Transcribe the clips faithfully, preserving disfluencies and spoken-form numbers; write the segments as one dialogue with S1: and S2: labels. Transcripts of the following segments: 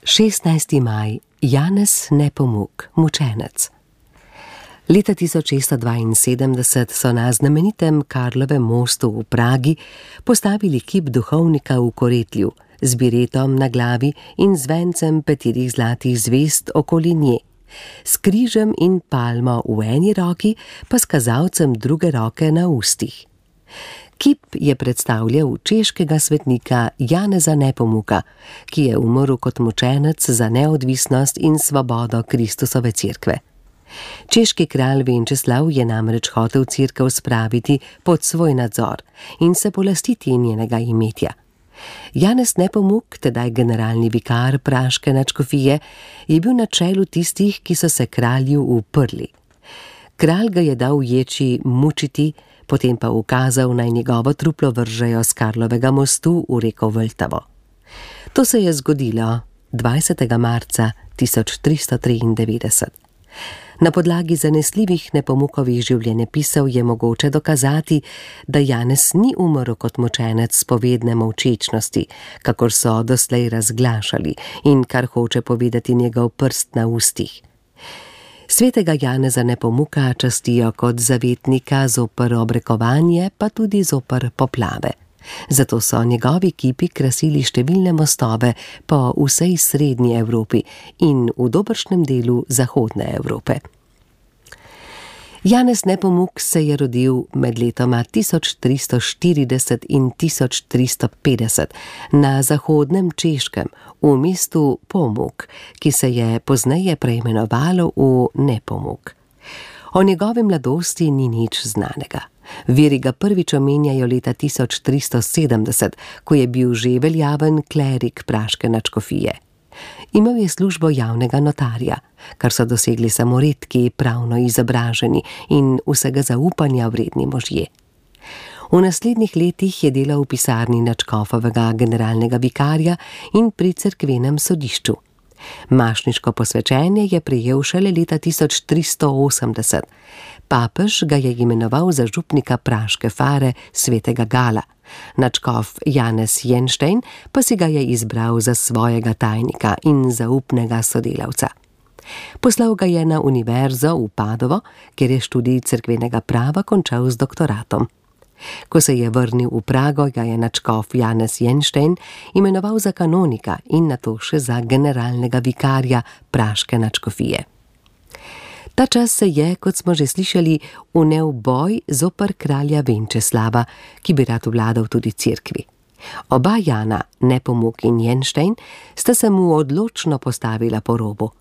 S1: šestnajsti maj, Janez Nepomuk, mučenec. Leta tisoč šeststo dvainsedemdeset so na znamenitem Karlovem mostu v Pragi postavili kip duhovnika v koretlju z biretom na glavi in z vencem petirih zlatih zvezd okoli nje, s križem in palmo v eni roki, pa s kazalcem druge roke na ustih. Kip je predstavljal češkega svetnika Janeza Nepomuka, ki je umrl kot mučenec za neodvisnost in svobodo Kristusove cerkve. Češki kralj Venčeslav je namreč hotel cerkev spraviti pod svoj nadzor in se polastiti njenega imetja. Janez Nepomuk, tedaj generalni vikar praške nadškofije, je bil na čelu tistih, ki so se kralju uprli. Kralj ga je dal ječi mučiti, potem pa ukazal, naj njegovo truplo vržejo s Karlovega mostu v reko Vltavo. To se je zgodilo dvajsetega marca tisoč tristo triindevetdeset. Na podlagi zanesljivih Nepomukovih življenjepisov je mogoče dokazati, da Janez ni umrl kot mučenec spovedne molčečnosti, kakor so doslej razglašali in kar hoče povedati njegov prst na ustih. Svetega Janeza Nepomuka častijo kot zavetnika zoper obrekovanje, pa tudi zoper poplave. Zato so njegovi kipi krasili številne mostove po vsej srednji Evropi in v dobršnem delu zahodne Evrope. Janez Nepomuk se je rodil med letoma tisoč tristo štirideset in tisoč tristo petdeset na zahodnem Češkem v mestu Pomuk, ki se je pozneje preimenovalo v Nepomuk. O njegovi mladosti ni nič znanega. Viri ga prvič omenjajo leta tisoč tristo sedemdeset, ko je bil že veljaven klerik praške nadškofije. Imel je službo javnega notarja, kar so dosegli samo redki pravno izobraženi in vsega zaupanja vredni možje. V naslednjih letih je delal v pisarni nadškofovega generalnega vikarja in pri cerkvenem sodišču. Mašniško posvečenje je prejel šele leta tisoč tristo osemdeset. Papež ga je imenoval za župnika praške fare svetega Gala. Nadškof Janez Jenštein pa si ga je izbral za svojega tajnika in zaupnega sodelavca. Poslal ga je na univerzo v Padovo, kjer je študij cerkvenega prava končal z doktoratom. Ko se je vrnil v Prago, ga je nadškof Janez Jenštein imenoval za kanonika in nato še za generalnega vikarja praške nadškofije. Ta čas se je, kot smo že slišali, vnel boj zoper kralja Venčeslava, ki bi rad vladal tudi cerkvi. Oba Jana, Nepomuk in Jenštein, sta se mu odločno postavila po robu.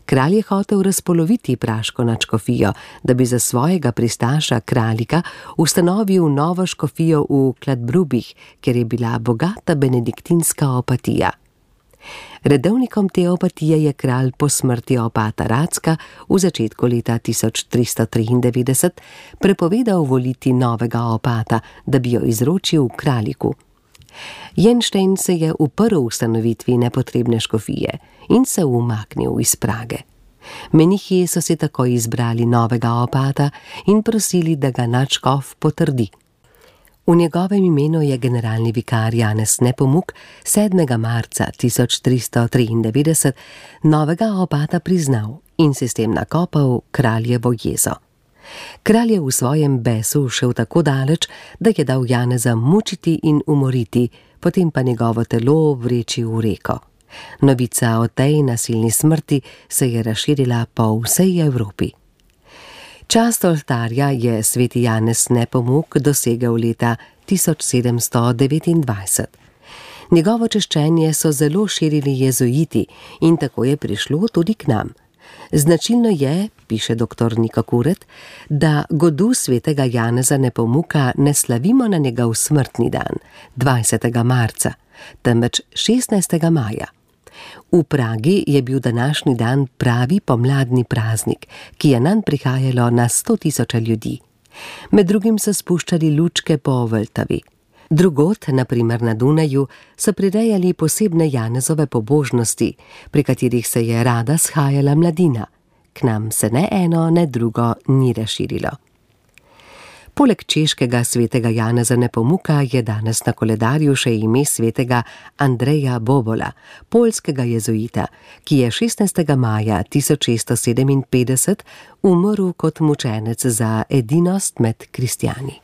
S1: Kralj je hotel razpoloviti praško nadškofijo, da bi za svojega pristaša kralika ustanovil novo škofijo v Kladbrubih, kjer je bila bogata benediktinska opatija. Redovnikom te opatije je kralj po smrti opata Racka v začetku leta tisoč tristo triindevetdeset prepovedal voliti novega opata, da bi jo izročil kraljiku. Jenštein se je uprl ustanovitvi nepotrebne škofije in se umaknil iz Prage. Menihi so si tako izbrali novega opata in prosili, da ga nadškof potrdi. V njegovem imenu je generalni vikar Janez Nepomuk sedmega marca tisoč tristo triindevetdeset novega opata priznal in si s tem nakopal kraljevo jezo. Kralj je v svojem besu šel tako daleč, da je dal Janeza mučiti in umoriti, potem pa njegovo telo vreči v reko. Novica o tej nasilni smrti se je razširila po vsej Evropi. Čast oltarja je sveti Janez Nepomuk dosegel leta tisoč sedemsto devetindvajset. Njegovo češčenje so zelo širili jezuiti in tako je prišlo tudi k nam. Značilno je, piše doktor Niko Kuret, da godu svetega Janeza Nepomuka ne slavimo na njegov smrtni dan, dvajsetega marca, temveč šestnajstega maja. V Pragi je bil današnji dan pravi pomladni praznik, ki je nanj prihajalo na sto tisoče ljudi. Med drugim so spuščali lučke po Vltavi. Drugod, na primer na Dunaju, so prirejali posebne Janezove pobožnosti, pri katerih se je rada shajala mladina. K nam se ne eno, ne drugo ni razširilo. Poleg češkega svetega Janeza Nepomuka je danes na koledarju še ime svetega Andreja Bobola, poljskega jezuita, ki je šestnajstega maja tisoč šeststo sedeminpetdeset umrl kot mučenec za edinost med kristjani.